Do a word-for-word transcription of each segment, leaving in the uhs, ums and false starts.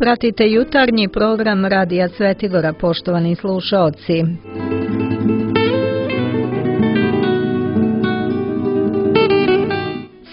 Pratite jutarnji program Radija Svetigora, poštovani slušaoci.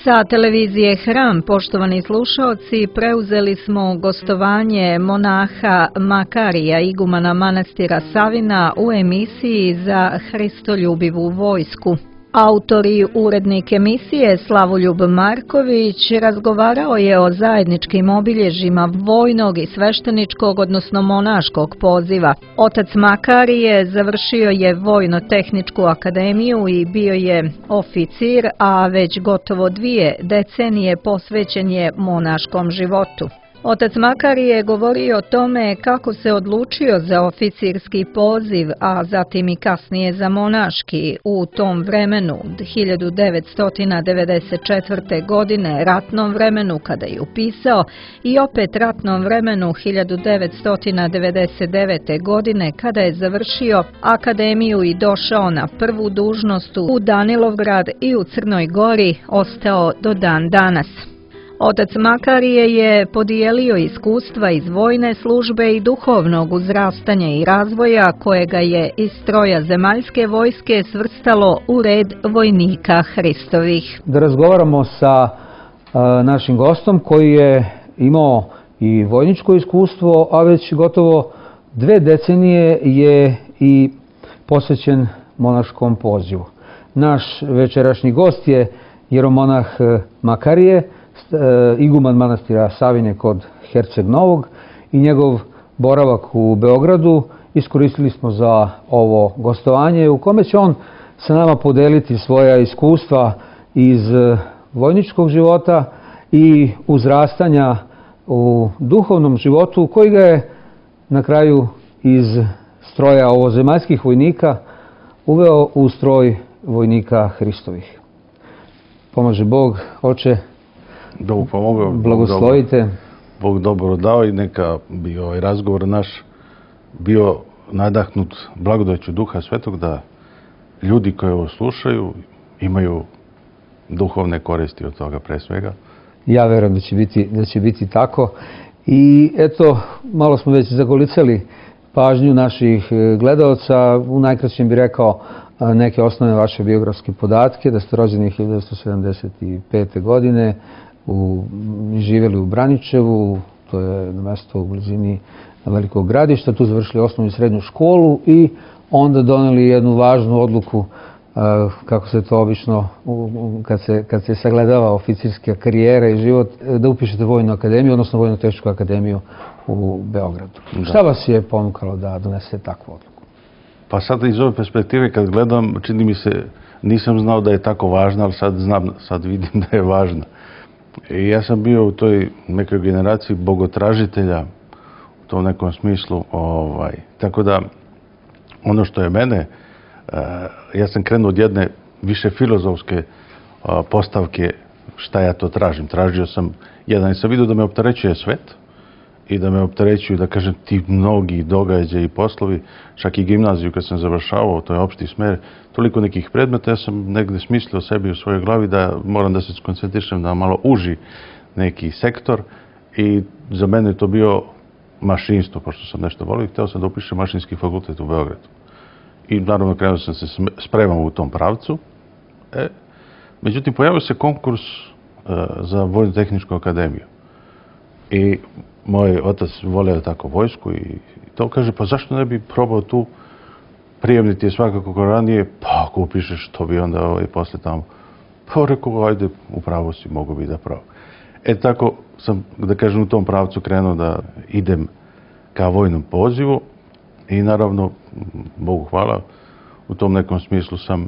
Sa televizije Hram, poštovani slušaoci, preuzeli smo gostovanje monaha Makarija, igumana manastira Savina, u emisiji za Hristoljubivu vojsku. Autor i urednik emisije Slavoljub Marković razgovarao je o zajedničkim obilježjima vojnog i svešteničkog, odnosno monaškog poziva. Otac Makarije završio je Vojno-tehničku akademiju i bio je oficir, a već gotovo dvije decenije posvećen je monaškom životu. Otac Makarije je govorio o tome kako se odlučio za oficirski poziv, a zatim i kasnije za monaški u tom vremenu, hiljadu devetsto devedeset četvrte. godine, ratnom vremenu kada je upisao, i opet ratnom vremenu hiljadu devetsto devedeset devete. godine kada je završio akademiju i došao na prvu dužnost u Danilovgrad i u Crnoj Gori ostao do dan danas. Otac Makarije je podijelio iskustva iz vojne službe i duhovnog uzrastanja i razvoja kojega je iz stroja zemaljske vojske svrstalo u red vojnika Hristovih. Da razgovaramo sa a, našim gostom koji je imao i vojničko iskustvo, a već gotovo dve decenije je i posvećen monaškom pozivu. Naš večerašnji gost je jeromonah Makarije, iguman manastira Savine kod Herceg Novog, i njegov boravak u Beogradu iskoristili smo za ovo gostovanje u kome će on sa nama podeliti svoja iskustva iz vojničkog života i uzrastanja u duhovnom životu koji ga je na kraju iz stroja ovozemaljskih vojnika uveo u stroj vojnika Hristovih. Pomaže Bog, oče. Bog pomogao, blagoslovite. Bog dobro dao i neka bi ovaj razgovor naš bio nadahnut blagodaću Duha Svetog, da ljudi koji ovo slušaju imaju duhovne koristi od toga pre svega. Ja verujem da će biti, da će biti tako. I eto, malo smo već zagolicali pažnju naših gledaoca. U najkraćem bih rekao neke osnovne vaše biografske podatke, da ste rođeni hiljadu devetsto sedamdeset pete. godine, U, živjeli u Braničevu, to je mesto u blizini velikog gradišta, tu završili osnovnu i srednju školu i onda doneli jednu važnu odluku, kako se to obično, kad se, kad se sagledava oficirska karijera i život, da upišete Vojnu akademiju, odnosno Vojno-tehničku akademiju u Beogradu. Da. Šta vas je ponukalo da donesete takvu odluku? Pa sad iz ove perspektive kad gledam, čini mi se, nisam znao da je tako važna, ali sad znam, sad vidim da je važna. I ja sam bio u toj nekoj generaciji bogotražitelja u tom nekom smislu. Ovaj. Tako da, ono što je mene, ja sam krenuo od jedne više filozofske postavke šta ja to tražim. Tražio sam, jedan sam vidio da me opterećuje svet i da me opterećuju, da kažem, ti mnogi događaji i poslovi, čak i gimnaziju kad sam završavao, to je opšti smer, toliko nekih predmeta, ja sam negde smislio sebi u svojoj glavi da moram da se skoncentrišem na malo uži neki sektor i za mene je to bio mašinstvo, pošto sam nešto volio i hteo sam da upišem mašinski fakultet u Beogradu. I naravno krenuo sam se spremao u tom pravcu. E, međutim, pojavio se konkurs e, za Vojno-tehničku akademiju. I moj otac voleo tako vojsku i to kaže, pa zašto ne bi probao tu, prijemni ti je svakako ko ranije, pa ako upišeš, to bi onda ovaj, posle tamo. Pa rekao, ajde, upravo si, mogu bi da pravo. E tako sam, da kažem, u tom pravcu krenuo da idem ka vojnom pozivu i naravno, Bogu hvala, u tom nekom smislu sam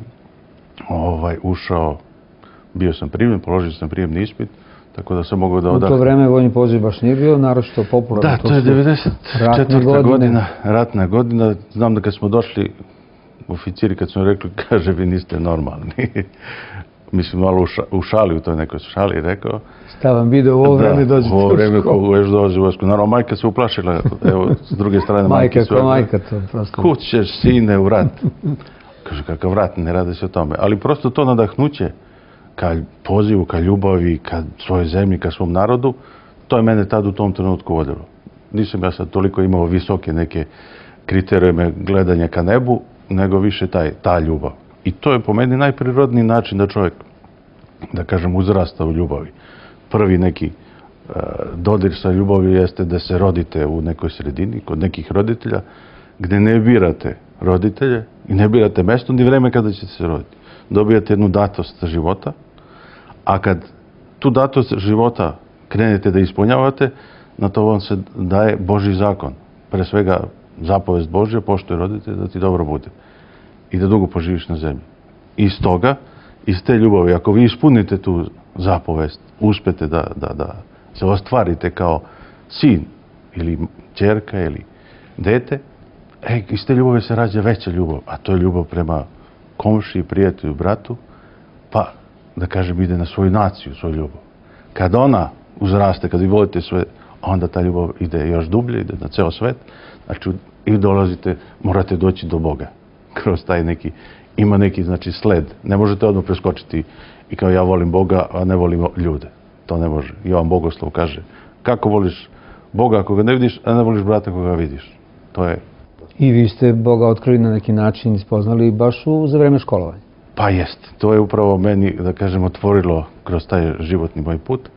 ovaj, ušao, bio sam primljen, položio sam prijemni ispit, tako da sam mogao da odahnem. U to vreme vojni poziv baš nije bio, naročito popularan. Da, to je devedeset četvrta. godina, ratna godina. Znam da kad smo došli, oficiri kad smo rekli, kaže, vi niste normalni. Mislim, malo u šali, u toj nekoj šali rekao. Šta vam video u ovo vreme dođete u školu? U ovo vreme kogu još dolazi u vojsku. Naravno, majka se uplašila, evo, s druge strane majke su... Majka, ko majka to prosto. Kud ćeš, sine, u rat? Kaže, kakav rat, ne radi se o tome. Ali prosto to nadahnuće ka pozivu, ka ljubavi, ka svojoj zemlji, ka svom narodu, to je mene tad u tom trenutku vodilo. nisam ja sad toliko imao visoke neke kriterijume gledanja ka nebu, nego više taj, ta ljubav. I to je po meni najprirodniji način da čovjek, da kažem, uzrasta u ljubavi. Prvi neki uh, dodir sa ljubavi jeste da se rodite u nekoj sredini, kod nekih roditelja, gdje ne birate roditelje i ne birate mjesto ni vreme kada ćete se roditi. Dobijate jednu datost života, a kad tu datost života krenete da ispunjavate, na to vam se daje Božji zakon. Pre svega zapovest Božja, poštoj roditelj, da ti dobro bude i da dugo poživiš na zemlji. Iz toga, iz te ljubavi, ako vi ispunite tu zapovest, uspete da, da, da se ostvarite kao sin ili ćerka ili dete, e, iz te ljubave se rađa veća ljubav, a to je ljubav prema komšiji, prijatelju, bratu, pa, da kažem, ide na svoju naciju, svoju ljubav. Kad ona uzraste, kad vi volite sve, onda ta ljubav ide još dublje, ide na ceo svet, znači i dolazite, morate doći do Boga. Kroz taj neki, ima neki, znači, sled. Ne možete odmah preskočiti i kao ja volim Boga, a ne volim ljude. To ne može. Jovan Bogoslov kaže, kako voliš Boga ako ga ne vidiš, a ne voliš brata ako ga vidiš. To je... I vi ste Boga otkrili na neki način i spoznali baš u, za vreme školovanja. Pa jest. To je upravo meni, da kažem, otvorilo kroz taj životni moj put.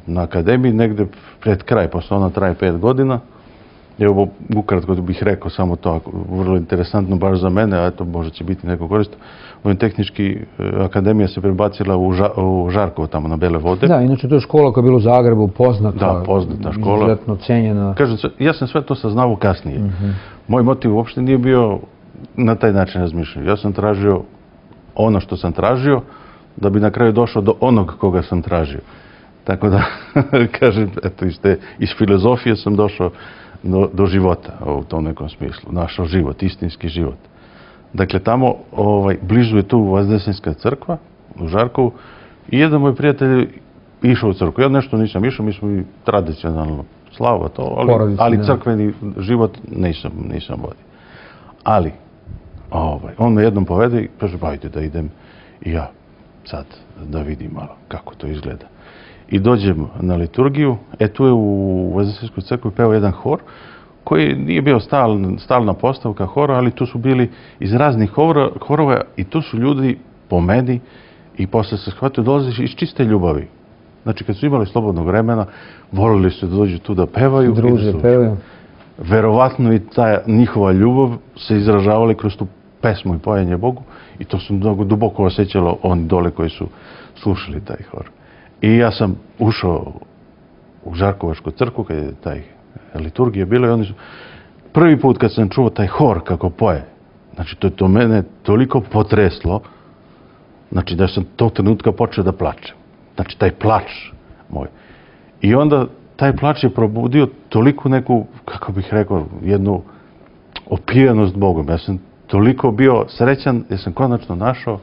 Na akademiji, negde pred kraj, posle ona traje pet godina. Evo, ukratko bih rekao samo to, vrlo interesantno baš za mene, a to možda će biti neko korist. Vojno-tehnički akademija se prebacila u, Ža, u Žarkovo, tamo na Bele vode. Da, inače to je škola koja je bila u Zagrebu, poznata, da, poznata škola. Izuzetno cenjena. Kažem, ja sam sve to saznao kasnije. Mm-hmm. Moj motiv uopšte nije bio na taj način razmišljao. Ja sam tražio ono što sam tražio, da bi na kraju došao do onog koga sam tražio. Tako da, kažem, eto, iz, te, iz filozofije sam došao do, do života, u tom nekom smislu. Našao život, istinski život. Dakle, tamo, ovaj, blizu je tu Vazdesenska crkva, u Žarkovu, i jedan moj prijatelj išao u crkvu. Ja nešto nisam išao, mi smo i tradicionalno slava to, ali, Porodici, ali crkveni život nisam, nisam vodio. Ali, ovaj, on me jednom povede i kaže, bajte da idem i ja sad da vidim malo kako to izgleda. I dođem na liturgiju, e tu je u Vazdesenskoj crkvi peo jedan hor, koji nije bio stal, stalna postavka hora, ali tu su bili iz raznih hora, horova i tu su ljudi po meni i posle se shvatio dolaze iz čiste ljubavi. Znači, kad su imali slobodnog vremena, volili su da dođu tu da pevaju. Druže, da su, pevaju. Verovatno i ta njihova ljubav se izražavali kroz tu pesmu i pojanje Bogu i to su mnogo duboko osjećalo oni dole koji su slušali taj hor. I ja sam ušao u Žarkovačku crkvu kad je taj liturgija bila i oni su prvi put kad sam čuo taj hor kako poje, znači to je to mene toliko potreslo, znači da sam tog trenutka počeo da plačem. Znači taj plač moj. I onda taj plač je probudio toliko neku, kako bih rekao, jednu opijenost Bogom. Ja sam toliko bio srećan jer sam konačno našao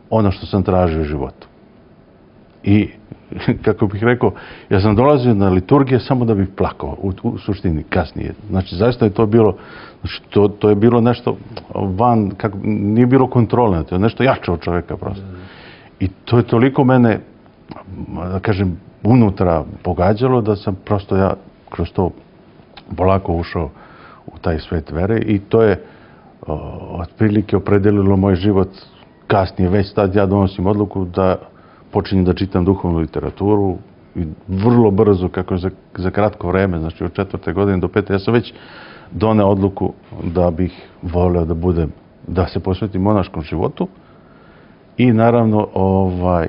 ono što sam tražio u životu. I, kako bih rekao, ja sam dolazio na liturgije samo da bih plakao, u, u suštini, kasnije. Znači, zaista je to bilo, znači, to, to je bilo nešto van, kako, nije bilo kontrolne, to je nešto jače od čovjeka prosto. I to je toliko mene, da kažem, unutra pogađalo da sam prosto ja kroz to polako ušao u taj svet vere i to je o, otprilike opredelilo moj život kasnije. Već tad ja donosim odluku da počinjem da čitam duhovnu literaturu i vrlo brzo, kako za, za kratko vreme, znači od četvrte godine do pete, ja sam već doneo odluku da bih voleo da budem, da se posvetim monaškom životu i naravno ovaj,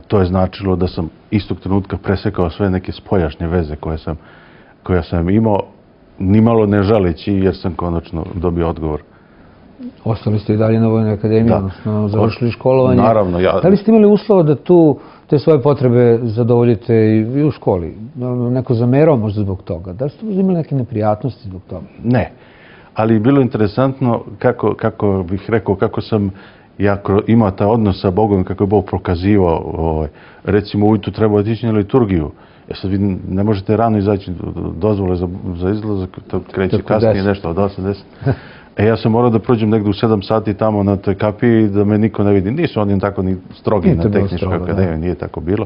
to je značilo da sam istog trenutka presekao sve neke spoljašnje veze koje sam, koje sam imao, nimalo ne žaleći jer sam konačno dobio odgovor. Ostali ste i dalje na Vojnoj akademiji, da. Odnosno završili školovanje. Naravno, ja... Da li ste imali uslova da tu te svoje potrebe zadovoljite i u školi? Neko zamerao možda zbog toga? Da li ste imali neke neprijatnosti zbog toga? Ne, ali je bilo interesantno kako, kako bih rekao, kako sam ja imao taj odnos sa Bogom, kako je Bog prokazivao. Ovaj, recimo, ujutru treba otići na liturgiju. Jer sad vi ne možete rano izaći dozvole za, za izlazak, to kreće kasnije nešto od osam deset. E, ja sam morao da prođem negdje u sedam sati tamo na toj kapiji da me niko ne vidi. Nisu oni tako ni strogi na tehničkoj akademiji, nije tako bilo.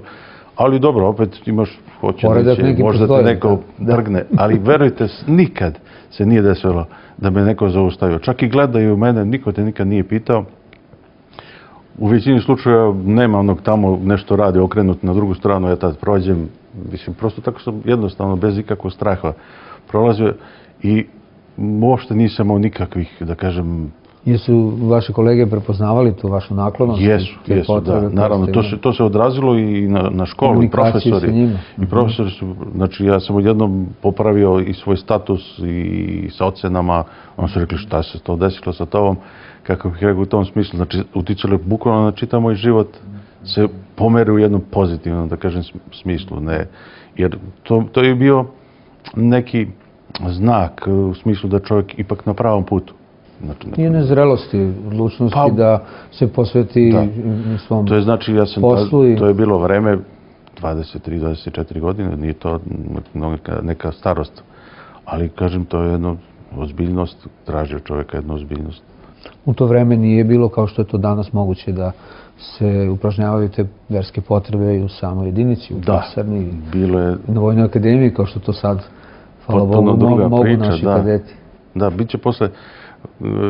Ali dobro, opet imaš, hoće Poredak neće, neki možda te postoji, neko da. drgne, ali verujte, nikad se nije desilo da me neko zaustavio. Čak i gledaju mene, niko te nikad nije pitao. U većini slučaja nema onog tamo nešto radi, okrenut na drugu stranu, ja tad prođem, mislim, prosto tako sam jednostavno, bez ikakvog straha prolazio i uopšte nisam imao nikakvih, da kažem... Jesu vaši kolege prepoznavali tu vašu naklonost? Jesu, jesu, da. Naravno, to se, to se odrazilo i na, na školu, i profesori. I profesori su, znači ja sam odjednom popravio i svoj status i sa ocenama, oni su rekli šta se to desilo sa tobom, kako bih rekao u tom smislu, znači uticalo je bukvalno na čitav moj život, se pomeri u jednom pozitivnom, da kažem, smislu. Ne, jer to, to je bio neki znak u smislu da čovjek ipak na pravom putu. Znači, i nezrelosti, odlučnosti pa, da se posveti da. svom to je, znači, ja sam poslu. I... To je bilo vreme, dvadeset tri do dvadeset četiri godine, nije to neka, neka starost. Ali, kažem, to je jedna ozbiljnost, traži od čovjeka jednu ozbiljnost. U to vreme nije bilo kao što je to danas moguće da se upražnjavaju te verske potrebe i u samoj jedinici, u kasarni, bilo je... na Vojnoj akademiji, kao što to sad, hvala Bogu, druga mogu priča, naši da. kadeti. Da, bit će posle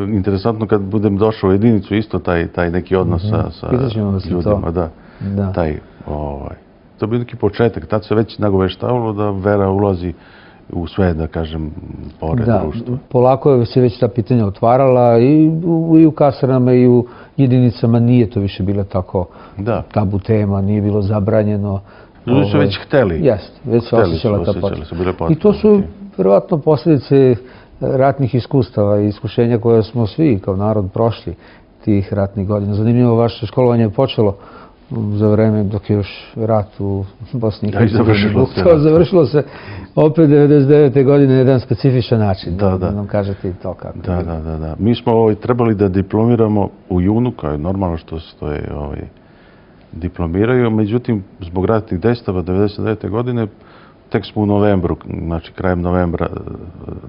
interesantno kad budem došao u jedinicu, isto taj, taj neki odnos mm -hmm. sa, sa ljudima. Da. Da. Taj, ovaj, to bi neki početak, tad se već nagoveštavalo da vera ulazi u sve, da kažem, pored da, društva. Polako je se već ta pitanja otvarala i u, i u kasarnama i u jedinicama nije to više bilo tako da. tabu tema, nije bilo zabranjeno. Ljudi su već hteli. Jeste, već se osjećala ta potreba. I to su vjerovatno posljedice ratnih iskustava i iskušenja koje smo svi kao narod prošli tih ratnih godina. Zanimljivo, vaše školovanje je počelo za vreme dok je još rat u Bosni i Hercegovini. Završilo se opet devedeset devete godine na jedan specifičan način. Da, da. Nam kažete i to kako. Da, da, da, da. Mi smo ovaj, trebali da diplomiramo u junu, kao je normalno što stoje ovaj, diplomiraju, međutim, zbog ratnih dejstava devedeset devete godine tek smo u novembru, znači krajem novembra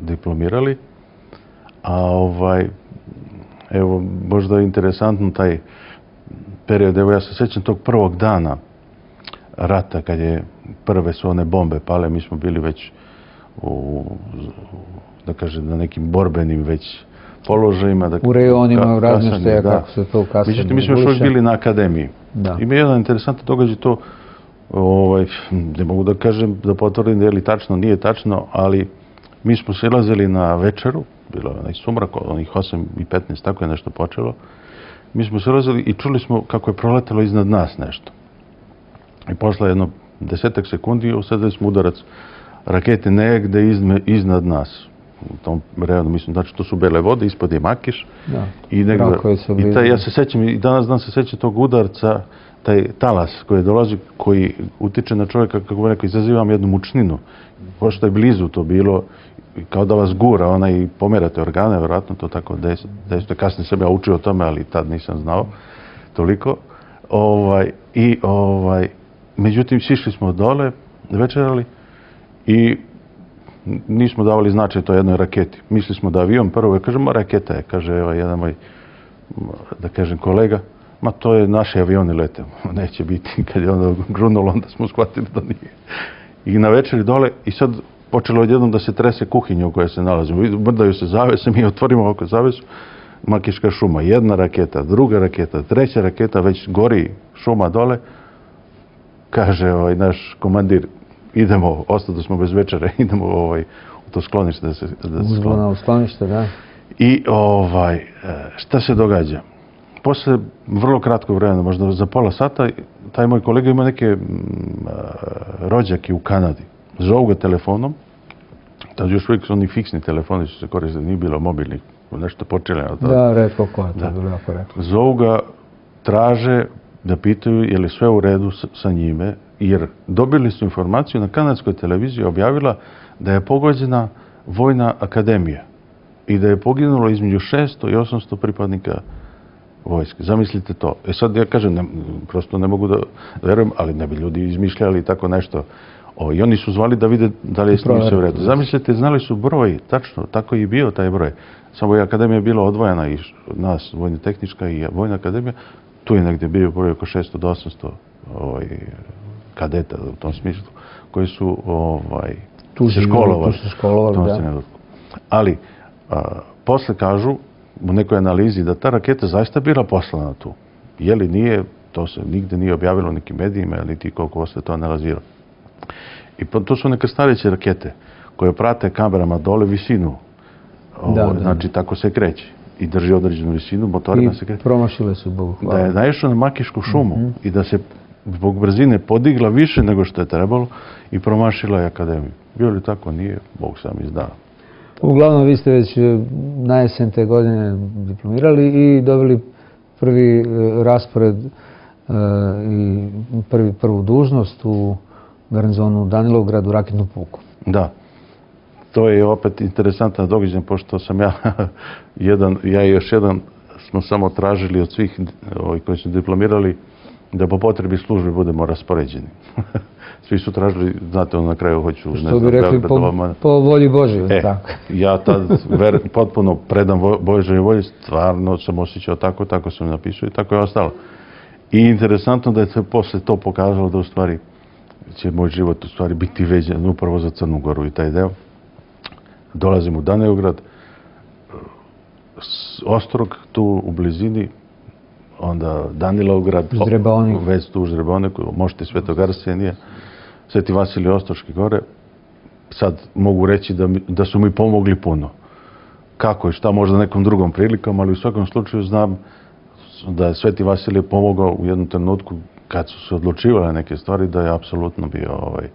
diplomirali. A ovaj, evo, možda je interesantno taj period, evo ja se sjećam tog prvog dana rata, kad je prve su one bombe pale, mi smo bili već u, da kažem, na nekim borbenim već položajima. Da, u rejonima, u razmještaja, kako se to u kasarni. Međutim, mi smo još uvijek bili na akademiji. Da. Ima jedan interesantan događaj to, ovaj, ne mogu da kažem, da potvrdim da je li tačno, nije tačno, ali mi smo silazili na večeru, bilo je onaj sumrak, onih osam i petnaest, tako je nešto počelo. Mi smo silazili i čuli smo kako je proletelo iznad nas nešto. I posle jedno desetak sekundi usadili smo udarac rakete negde izme, iznad nas. U tom rejonu, mislim, znači to su bele vode, ispod je Makiš. Da, i negde, i taj, ja se sećam, i danas dan se sećam tog udarca, taj talas koji dolazi, koji utiče na čovjeka, kako bi rekao, izazivam jednu mučninu. Pošto je blizu to bilo, kao da vas gura, ona i pomerate organe, vjerojatno to tako dejstvo. Kasnije sam ja učio o tome, ali tad nisam znao toliko. Ovaj, i, ovaj, međutim, sišli smo dole, večerali i nismo davali značaj toj jednoj raketi. Mislili smo da avion prvo, ja kažem, raketa je, kaže evo, jedan moj, da kažem, kolega, ma to je naši avioni lete, neće biti. Kad je onda grunulo, onda smo shvatili da nije. I na večeri dole, i sad počelo odjednom da se trese kuhinja u kojoj se nalazimo. Mrdaju se zavese, mi otvorimo oko zavesu, Makiška šuma, jedna raketa, druga raketa, treća raketa, već gori šuma dole. Kaže ovaj, naš komandir, idemo, ostali smo bez večere, idemo ovaj, u to sklonište da se, da se skloni. U sklonište, da. I ovaj, šta se događa? Posle vrlo kratkog vremena, možda za pola sata, taj moj kolega ima neke m, rođake u Kanadi. Zovu ga telefonom, tad još uvijek su oni fiksni telefoni su se koristili, nije bilo mobilnih, nešto počeli na to. Da, retko ko je to bilo jako retko. Zovu ga, traže da pitaju je li sve u redu sa njime, jer dobili su informaciju na kanadskoj televiziji objavila da je pogođena vojna akademija i da je poginulo između šesto i osamsto pripadnika vojske. Zamislite to. E sad ja kažem, ne, prosto ne mogu da verujem, ali ne bi ljudi izmišljali tako nešto. O, i oni su zvali da vide da li je s njim sve u redu. Zamislite, znali su broj, tačno, tako je i bio taj broj. Samo je akademija bila odvojena i nas, vojna tehnička i vojna akademija, tu je negdje bio broj oko šesto do osamsto ovaj, kadeta u tom smislu, koji su ovaj, tu se školovali. Tu se školovali, da. Ali, a, posle kažu u nekoj analizi da ta raketa zaista bila poslana tu. Je li nije, to se nigde nije objavilo nekim medijima, niti koliko se to analizira. I to su neke stareće rakete koje prate kamerama dole visinu. Da, o, da, znači, tako se kreće. I drži određenu visinu, motorima se kreće. I promašile su, Bogu hvala. Da je naišao na Makišku šumu mm-hmm. i da se zbog brzine podigla više nego što je trebalo i promašila je akademiju. Bio li tako? Nije. Bog sam izdao. Uglavnom, vi ste već na jesen te godine diplomirali i dobili prvi raspored i prvi, prvu dužnost u garnizonu Danilovgrad u raketnu puku. Da. To je opet interesantan događaj, pošto sam ja, jedan, ja i još jedan smo samo tražili od svih ovih koji su diplomirali da po potrebi službe budemo raspoređeni. Svi su tražili, znate, na kraju hoću... Što ne bi rekli, po, po volji Božoj. E, tako. Ja tad ver, potpuno predam Božoj volji, stvarno sam osjećao tako, tako sam napisao i tako je ostalo. I interesantno da je se posle to pokazalo da u stvari će moj život u stvari biti veđan upravo za Crnu Goru i taj deo. Dolazim u Danilovgrad, Ostrog tu u blizini, onda Danilovgrad, već tu u Ždreboniku, možete Svetog Arsenija, Sveti Vasilij Ostroške gore. Sad mogu reći da, mi, da su mi pomogli puno. Kako i šta, možda nekom drugom prilikom, ali u svakom slučaju znam da je Sveti Vasilij pomogao u jednom trenutku kad su se odlučivale neke stvari, da je apsolutno bio, ovaj,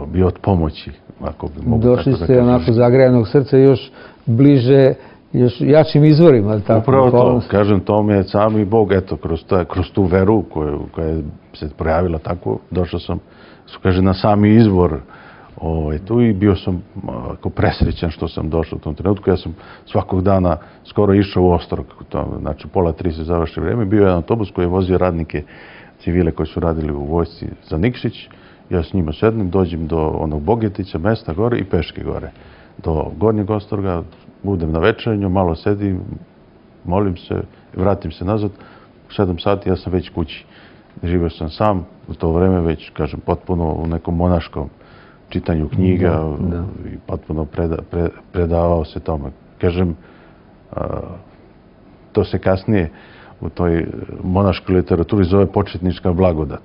bio od pomoći. Ako bi mogu Došli tako ste da onako zagrejanog srca još bliže, još jačim izvorima. Tako, upravo to, kažem, to mi je sami Bog, eto, kroz, ta, kroz tu veru koju, koja je se projavila tako, došao sam, su kaže, na sami izvor ovaj, tu i bio sam ako presrećan što sam došao u tom trenutku. Ja sam svakog dana skoro išao u Ostrog, to, znači pola tri se završi vrijeme, bio je jedan autobus koji je vozio radnike civile koji su radili u vojsci za Nikšić. Ja s njima sednem, dođem do onog Bogetića, mesta gore i peške gore. Do Gornjeg Ostroga, budem na večernju, malo sedim, molim se, vratim se nazad. U sedam sati ja sam već kući. Živio sam sam, u to vreme već, kažem, potpuno u nekom monaškom čitanju knjiga da, da. I potpuno preda, pre, predavao se tome. Kažem, a, to se kasnije u toj monaškoj literaturi zove početnička blagodat.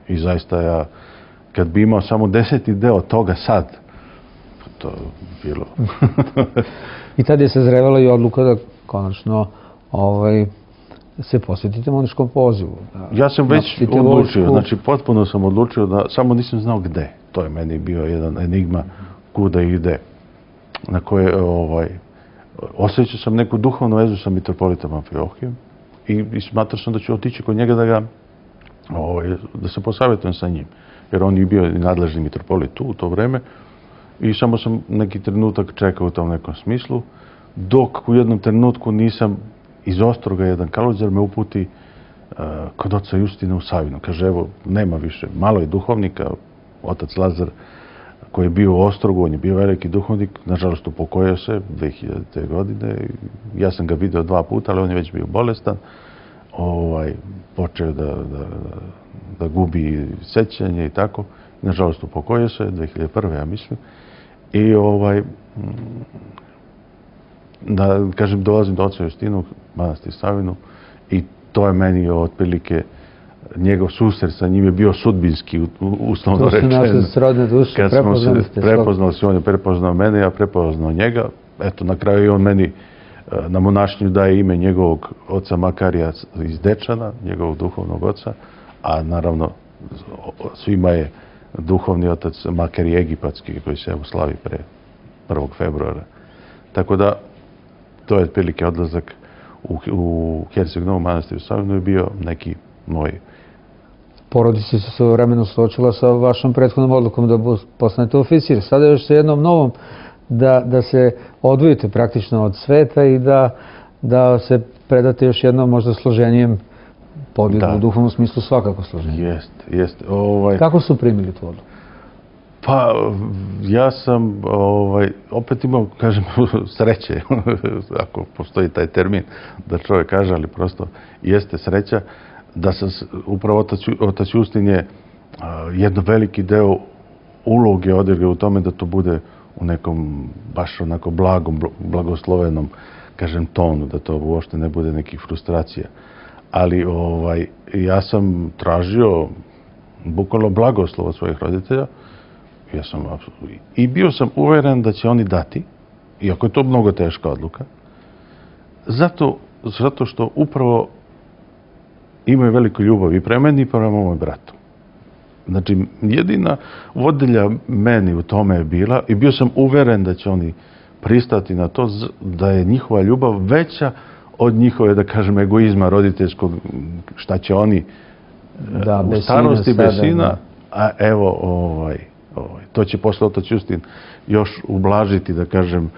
I zaista ja, kad bi imao samo deseti deo toga sad, to bilo. I tad je se zrevala i odluka da konačno ovaj, se posvetite monaškom pozivu. Da, ja sam već odlučio, znači potpuno sam odlučio da samo nisam znao gde. To je meni bio jedan enigma kuda ide, na koje ovaj, osjećao sam neku duhovnu vezu sa mitropolitom Amfilohijem i, i smatrao sam da ću otići kod njega da ga ovaj, da se posavjetujem sa njim. Jer on je bio nadležni mitropolit tu u to vreme i samo sam neki trenutak čekao u tom nekom smislu, dok u jednom trenutku nisam iz Ostroga jedan kaluzar me uputi uh, kod oca Justina u Savinu. Kaže, evo, nema više, malo je duhovnika, otac Lazar koji je bio u Ostrogu, on je bio veliki duhovnik, nažalost upokojio se dve hiljadite. godine. Ja sam ga video dva puta, ali on je već bio bolestan. Ovaj, počeo da, da, da gubi sećanje i tako. Nažalost upokojio se dve hiljade prve. ja mislim. I ovaj, da kažem, dolazim do oca Justinu, manastir Savinu, i to je meni otprilike njegov susret sa njim je bio sudbinski, uslovno rečeno. To su naše srodne duše, prepoznali ste. Prepoznali se, on je prepoznao mene, ja prepoznao njega. Eto, na kraju i on meni na monašnju daje ime njegovog oca Makarija iz Dečana, njegovog duhovnog oca, a naravno svima je duhovni otac Makarij Egipatski, koji se evo slavi pre prvog februara. Tako da, to je otprilike odlazak u, u Herceg Novom manastiru Savinu je bio neki moj. Porodica se svojevremeno suočila sa vašom prethodnom odlukom da postanete oficir. Sada još sa jednom novom da, da se odvojite praktično od sveta i da, da se predate još jednom možda složenijem podvigu, u duhovnom smislu svakako složenije. Jeste, jeste. Ovaj... Kako su primili tu odluku? Pa, ja sam ovaj, opet imao, kažem, sreće, ako postoji taj termin da čovjek kaže, ali prosto jeste sreća, da sam, upravo otac, otac Justin je jedno veliki deo uloge odigra u tome da to bude u nekom baš onako blagom, blagoslovenom, kažem, tonu, da to uopšte ne bude nekih frustracija. Ali ovaj, ja sam tražio bukvalno blagoslov od svojih roditelja. Ja sam, i bio sam uveren da će oni dati, iako je to mnogo teška odluka, zato, zato što upravo imaju veliku ljubav i prema meni i prema mom bratu. Znači, jedina vodilja meni u tome je bila, i bio sam uveren da će oni pristati na to, da je njihova ljubav veća od njihove, da kažem, egoizma roditeljskog, šta će oni da, u starosti bez sina, a evo, ovaj, ovaj, to će posle otac Justin još ublažiti, da kažem,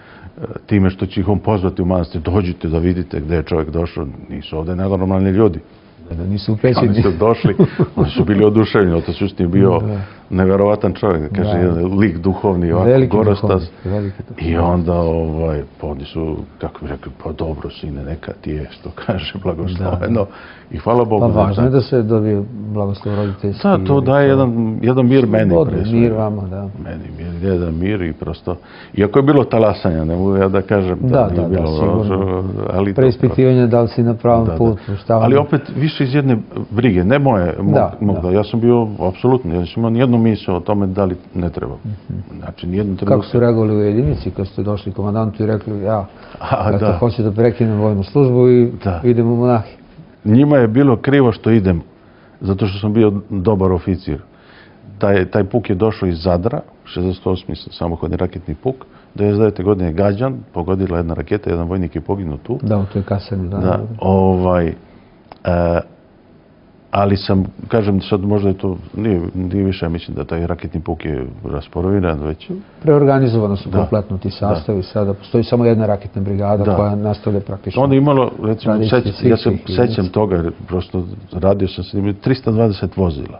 time što će ih on pozvati u manastir, dođite da vidite gde je čovjek došao, nisu ovde nenormalni ljudi. Da nisu upećeni. Oni su došli, oni su bili oduševljeni, otac Justin je bio neverovatan čovjek, da kaže, jedan lik duhovni, ovako gorostas. I onda, ovaj, pa oni su, kako bi rekli, pa dobro sine, neka ti je, što kaže, blagosloveno. I hvala Bogu. Pa važno je da se dobije blagoslov roditeljski. Da, to daje jedan, jedan mir meni. Mir vama, da. Meni mir, jedan mir i prosto, iako je bilo talasanja, ne mogu ja da kažem da nije bilo. Da, sigurno. Preispitivanje da li si na pravom putu. Ali opet više iz jedne brige, ne moje, mog, ja sam bio apsolutno, ja sam imao nijednu misao o tome da li ne treba. Znači, nijednu treba. Kako su reagovali u jedinici kad ste došli komandantu i rekli, ja, da hoću da prekinem vojnu službu i idem u monahi? Njima je bilo krivo što idem, zato što sam bio dobar oficir. Taj, taj puk je došao iz Zadra, šezdeset osmi samohodni raketni puk, devedeset devete godine je gađan, pogodila jedna raketa, jedan vojnik je poginuo tu. Da, u toj kasarni, da. Da, ovaj, e, ali sam, kažem, sad možda je to, nije, nije više, mislim da taj raketni puk je rasporoviran već. Preorganizovano su kompletno ti sastavi, sada postoji samo jedna raketna brigada koja nastavlja praktično. Onda je imalo, recimo, ja se sećam toga, jer prosto radio sam se, imali trista dvadeset vozila.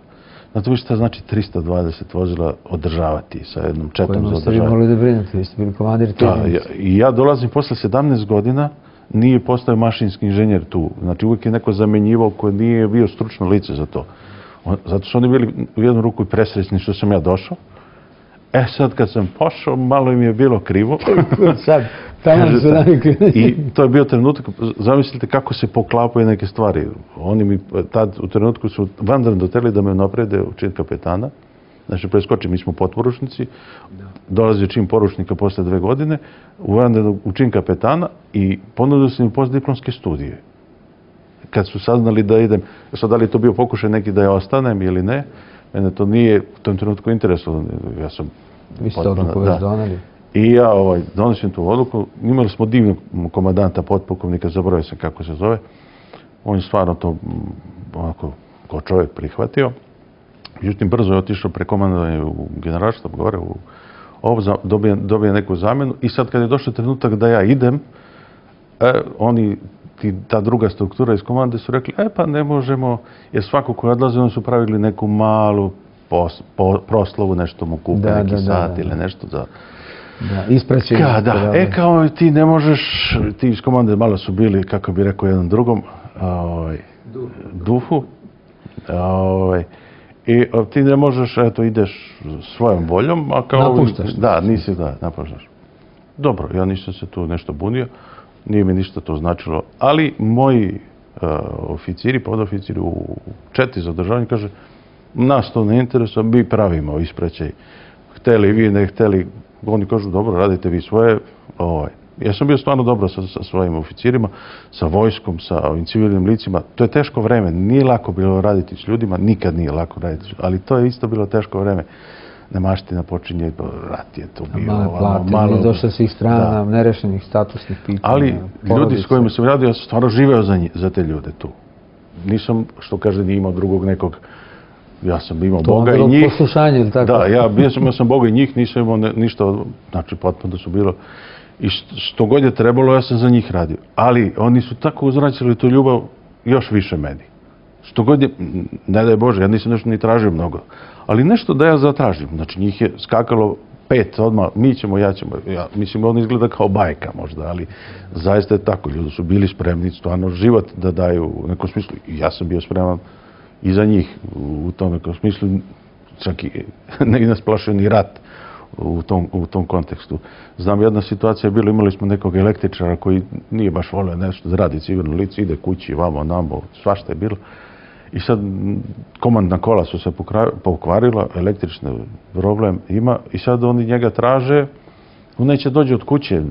Znate vi šta znači trista dvadeset vozila održavati sa jednom četom za održavati? Kojima ste vi morali da brinete, vi ste bili komandir te jedinice. I ja dolazim posle sedamnaest godina, nije postao mašinski inženjer tu. Znači uvijek je neko zamenjivao koji nije bio stručno lice za to. Zato su oni bili u jednu ruku i presrećni što sam ja došao. E sad kad sam pošao, malo im je bilo krivo. Sad, tamo su navikli. I to je bio trenutak, zamislite kako se poklapaju neke stvari. Oni mi tad u trenutku su vanredno hteli da me naprede u čin kapetana. Znači, preskoči, mi smo potporučnici, dolazi čin poručnika posle dve godine, u čin kapetana i ponudili su mi postdiplomske studije. Kad su saznali da idem, sad da li je to bio pokušaj neki da ja ostanem ili ne, mene to nije u tom trenutku interesovalo. Ja sam... Vi ste odluku već doneli. I ja ovaj, donosim tu odluku. Imali smo divnog komandanta, potpukovnika, zaboravio sam kako se zove. On je stvarno to onako kao čovjek prihvatio. Međutim, brzo je otišao prekomandovanje u generalštab gore, u ovo, dobije, dobije neku zamenu i sad kad je došao trenutak da ja idem, e, oni, ti, ta druga struktura iz komande su rekli, e pa ne možemo, jer svako koji odlazi, oni su pravili neku malu pos, po, proslavu, nešto mu kupe, da, neki da, sat da, da, ili nešto za... Da, ispreći. Ka, da, e kao ti ne možeš, ti iz komande malo su bili, kako bi rekao jednom drugom, ovaj, duhu, ovaj, i ti ne možeš, eto, ideš svojom voljom, a kao... Napuštaš. Da, nisi, da, napuštaš. Dobro, ja nisam se tu nešto bunio, nije mi ništa to značilo, ali moji uh, oficiri, podoficiri u četi za održavanje kaže, nas to ne interesuje, mi pravimo ispraćaj. Hteli vi, ne hteli, oni kažu, dobro, radite vi svoje. Ovaj. Ja sam bio stvarno dobro sa, sa svojim oficirima, sa vojskom, sa ovim civilnim licima. To je teško vreme, nije lako bilo raditi s ljudima, nikad nije lako raditi, ali to je isto bilo teško vreme. Nemaština počinje, rat je to bio. Malo plate, malo, nije došlo svih strana, da. Nerešenih statusnih pitanja. Ali ljudi s kojima sam radio, ja sam stvarno živeo za, njih, za te ljude tu. Nisam, što kaže, nije imao drugog nekog. Ja sam imao to Boga i njih. To poslušanje ili tako? Da, ja bio sam, imao sam Boga i njih, nisam imao ne, ništa, znači potpuno da su bilo. I što god je trebalo, ja sam za njih radio. Ali oni su tako uzvraćali tu ljubav još više meni. Što god je, ne daj Bože, ja nisam nešto ni tražio mnogo. Ali nešto da ja zatražim. Znači njih je skakalo pet odmah, mi ćemo, ja ćemo. Ja, mislim, on izgleda kao bajka možda, ali zaista je tako. Ljudi su bili spremni, stvarno život da daju u nekom smislu. I ja sam bio spreman i za njih u tom nekom smislu. čak i ne nas plašio ni rat u tom, u tom kontekstu. Znam, jedna situacija je bila, imali smo nekog električara koji nije baš volio nešto da radi civilno lice, ide kući, vamo, namo, svašta je bilo. I sad komandna kola su se pokvarila, električni problem ima i sad oni njega traže, on neće dođe od kuće,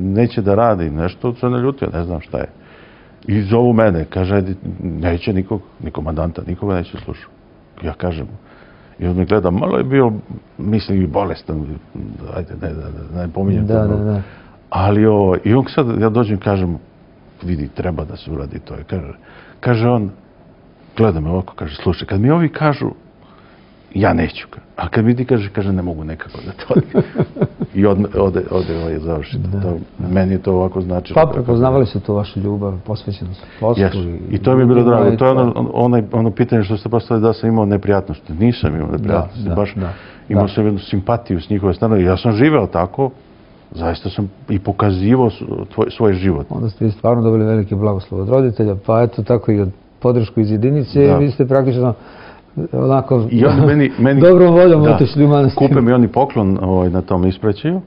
neće da radi nešto, se naljutio, ne znam šta je. I zovu mene, kaže, neće nikog, ni komandanta, nikoga neće slušati. Ja kažem, i on me gleda, malo je bio, mislim, i bolestan, ajde, ne, ne, ne pominjem da, to. Da, da. Ali ovo, i on sad, ja dođem i kažem, vidi, treba da se uradi to. Kaže, kaže on, gleda me ovako, kaže, slušaj, kad mi ovi kažu, ja neću. A kad mi ti kaže, kaže, ne mogu nekako da to ode. I ode, ode, ode ovaj završiti. Meni je to ovako značilo. Pa prepoznavali su to vašu ljubav, posvećenost poslu. Yes. I, I to mi je bilo drago. To je ono, ono, ono pitanje što ste postavili da sam imao neprijatnosti. Nisam imao neprijatnosti. Da, da, baš da, imao da. sam jednu simpatiju s njihove strane. Ja sam živeo tako. Zaista sam i pokazivao tvoj, svoj život. Onda ste vi stvarno dobili veliki blagoslov od roditelja, pa eto tako i od podršku iz jedinice. Da. Vi ste praktično onako I oni meni, meni, dobrom voljom otišli u manastir. Kupe mi oni poklon ovaj, na tom ispraćaju.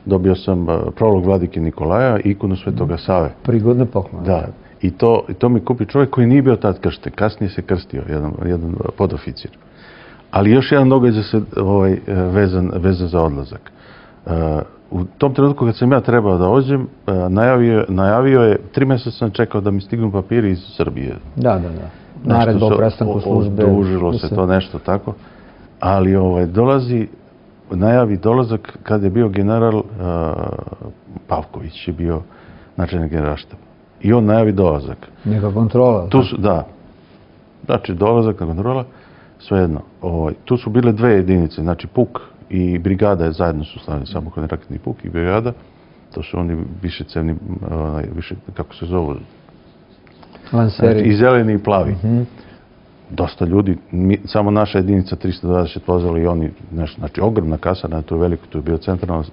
Dobio sam uh, prolog vladike Nikolaja i ikonu Svetoga Save. Prigodne poklone. Da. I to, I to mi kupi čovjek koji nije bio tad kršten. Kasnije se krstio, jedan, jedan podoficir. Ali još jedan događaj se ovaj, vezan, vezan za odlazak. Uh, u tom trenutku kad sam ja trebao da ođem, uh, najavio, najavio je, tri mjeseca sam čekao da mi stignu papiri iz Srbije. Da, da, da. Naredba o prestanku službe. Odužilo se to nešto tako. Ali ovaj, dolazi, najavi dolazak kad je bio general uh, Pavković, je bio načelnik generalštaba. I on najavi dolazak. Neka kontrola. Tu su, da. Znači, dolazak na kontrola, svejedno. Ovaj, tu su bile dve jedinice, znači Puk i brigada je zajedno su slavili, samohodni raketni Puk i brigada. To su oni višecevni, onaj, više, kako se zovu, Lanseri. Znači, i zeleni i plavi. Mm-hmm. Dosta ljudi, mi, samo naša jedinica tristo dvadeset vozila i oni, nešto, znači ogromna kasarna, to je veliko, to je bio centralno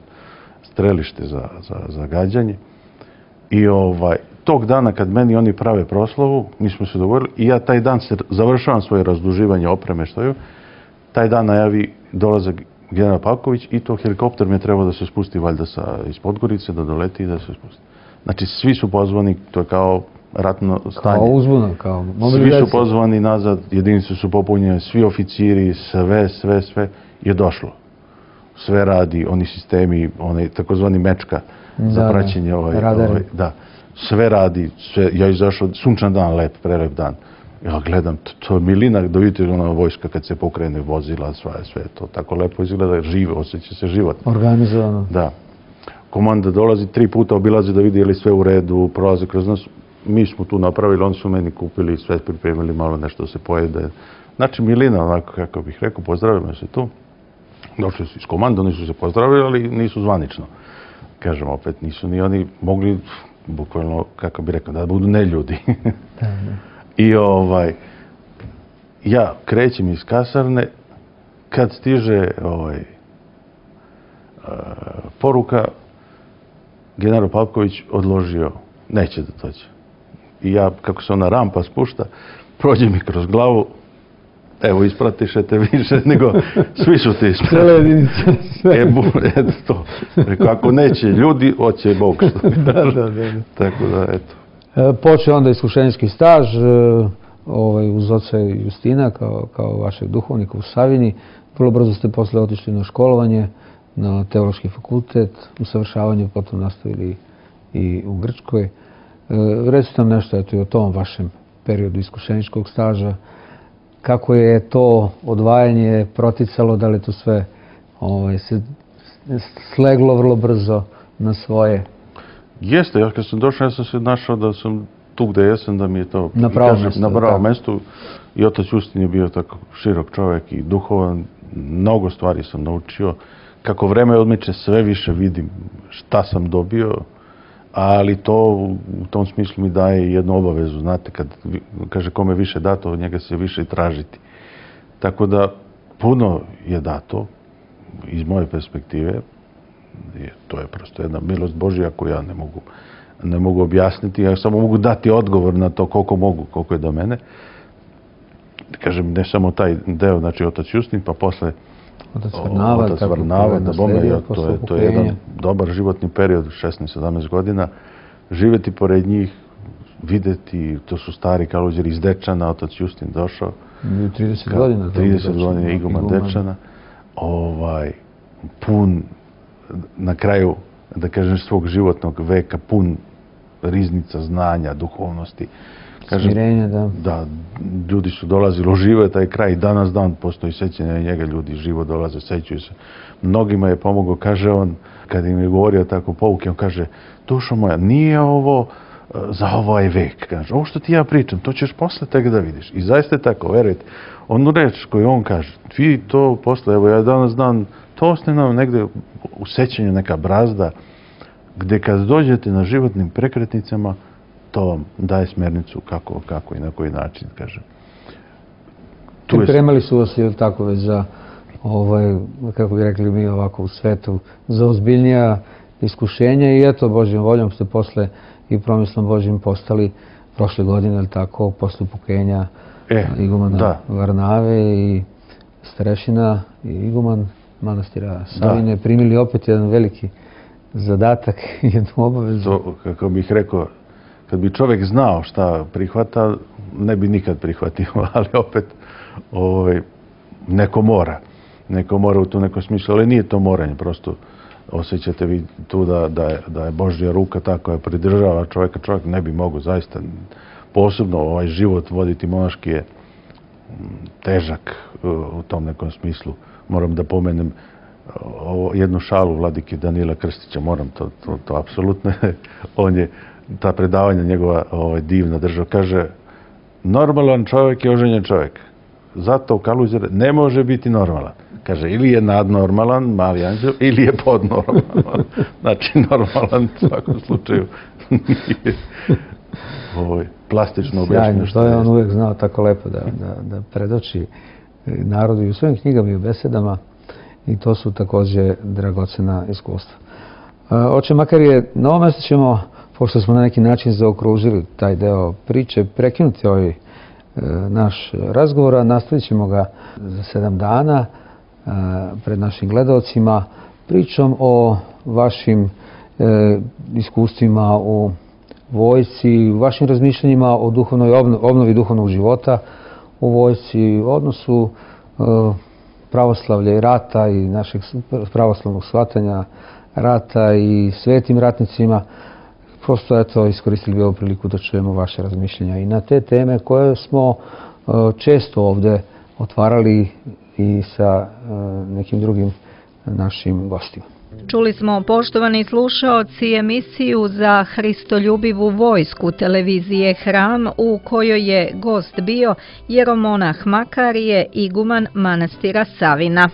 strelište za, za, za gađanje. I ovaj, tog dana kad meni oni prave proslavu, mi smo se dogovorili i ja taj dan se završavam svoje razduživanje opreme što je, taj dan najavi dolazak general Pavković i to helikopter mi je trebao da se spusti valjda sa, iz Podgorice, da doleti i da se spusti. Znači svi su pozvani, to je kao ratno stanje. Kao uzbuna, kao mobilizacija. Svi su pozvani nazad, jedinice su popunjene, svi oficiri, sve, sve, sve je došlo. Sve radi, oni sistemi, onaj takozvani mečka da, za praćenje ovaj, ovaj, da. Sve radi, sve, ja izašao, sunčan dan, lep, prelep dan. Ja gledam, to, to je milina, da vidite ona vojska kad se pokrene, vozila, sve, sve to tako lepo izgleda, žive, osjeća se život. Organizovano. Da. Komanda dolazi, tri puta obilazi da vidi je li sve u redu, prolazi kroz nas. Mi smo tu napravili, oni su meni kupili, sve pripremili, malo nešto da se pojede. Znači, milina, onako, kako bih rekao, pozdravimo se tu. Došli su iz komanda, oni su se pozdravili, ali nisu zvanično. Kažem, opet, nisu ni oni mogli, bukvalno, kako bih rekao, da budu neljudi. Da, da. I ovaj, ja krećem iz kasarne, kad stiže ovaj, uh, poruka, general Pavković odložio, neće da dođe. I ja, kako se ona rampa spušta, prođe mi kroz glavu, evo, ispratišete više nego svi su ti isprati. Cijela jedinica. E, bu, eto to. Rekao, ako neće ljudi, hoće Bog. Da, da, da. Tako da, eto. E, počeo onda iskušenjski staž, e, ovaj, uz oca Justina, kao, kao vašeg duhovnika u Savini. Vrlo brzo ste posle otišli na školovanje, na teološki fakultet, usavršavanje, potom nastavili i u Grčkoj. E, recite nam nešto eto, i o tom vašem periodu iskušeničkog staža. Kako je to odvajanje proticalo, da li to sve ovaj, se sleglo vrlo brzo na svoje? Jeste, ja kad sam došao, ja sam se našao da sam tu gde jesam, da mi je to na pravom mjestu. Na pravom mjestu. I otac Justin je bio tako širok čovjek i duhovan. Mnogo stvari sam naučio. Kako vreme odmiče, sve više vidim šta sam dobio, ali to u tom smislu mi daje jednu obavezu. Znate, kad kaže kome više dato, od njega se više i tražiti. Tako da puno je dato iz moje perspektive. To je prosto jedna milost Božja koju ja ne mogu, ne mogu objasniti. Ja samo mogu dati odgovor na to koliko mogu, koliko je do mene. kažem, ne samo taj deo, znači otac Justin, pa posle Otac Varnava, otac Varnava, da bome, ja, to, je, to je jedan dobar životni period, šesnaest sedamnaest godina, živeti pored njih, videti, to su stari Kaluđeri iz Dečana, otac Justin došao. trideset godina. trideset godina iguman Dečana, ovaj, pun, na kraju, da kažem, svog životnog veka, pun riznica znanja, duhovnosti. Kažem, smirenja, da. Da, ljudi su dolazili, ožive taj kraj i danas dan postoji sećanje na njega, ljudi živo dolaze, sećaju se. Mnogima je pomogao, kaže on, kad im je govorio tako pouke, on kaže, dušo moja, nije ovo za ovaj vek, kaže, ovo što ti ja pričam, to ćeš posle tega da vidiš. I zaista je tako, verujete, onu reč koju on kaže, vi to posle, evo ja danas dan, to ostane nam negde u sećanju neka brazda, gde kad dođete na životnim prekretnicama, to vam daje smernicu kako, kako i na koji način, kaže. Pripremali su vas, ili tako, već za, ovaj, kako bi rekli mi ovako u svetu, za ozbiljnija iskušenja i eto, Božjom voljom ste posle i promislom Božjim postali prošle godine, ili tako, posle upokenja e, igumana da. Varnave i starešina i iguman manastira Savine, da. Primili opet jedan veliki zadatak i jednu obavezu. To, kako bih rekao, kad bi čovjek znao šta prihvata, ne bi nikad prihvatio, ali opet ovaj, neko mora. Neko mora u tu neko smislu, ali nije to moranje, prosto osjećate vi tu da, da, je, da je Božja ruka ta koja pridržava čovjeka. Čovjek ne bi mogo zaista, posebno ovaj život voditi monaški je težak u tom nekom smislu. Moram da pomenem ovo, jednu šalu vladike Danila Krstića, moram to, to, to apsolutno, on je ta predavanja njegova ovaj, divna država, kaže, normalan čovjek je oženjen čovjek. Zato Kaluđer ne može biti normalan. Kaže, ili je nadnormalan, mali anđel, ili je podnormalan. Znači, normalan u svakom slučaju nije ovaj, plastično objašnjeno. Sjajno, to je on uvijek znao tako lepo da, da, da predoči narodu i u svojim knjigama i u besedama i to su također dragocena iskustva. Oče Makarije, na ovom mjestu ćemo, pošto smo na neki način zaokružili taj deo priče, prekinuti ovaj e, naš razgovor, a nastavit ćemo ga za sedam dana e, pred našim gledalcima pričom o vašim e, iskustvima u vojsci, vašim razmišljanjima o duhovnoj obnovi, obnovi duhovnog života u vojsci, odnosu e, pravoslavlja i rata i našeg pravoslavnog shvatanja rata i svetim ratnicima. Prosto, eto, iskoristili bi ovu priliku da čujemo vaše razmišljenja i na te teme koje smo često ovde otvarali i sa nekim drugim našim gostima. Čuli smo, poštovani slušaoci, emisiju za Hristoljubivu vojsku televizije Hram, u kojoj je gost bio jeromonah Makarije, iguman manastira Savina.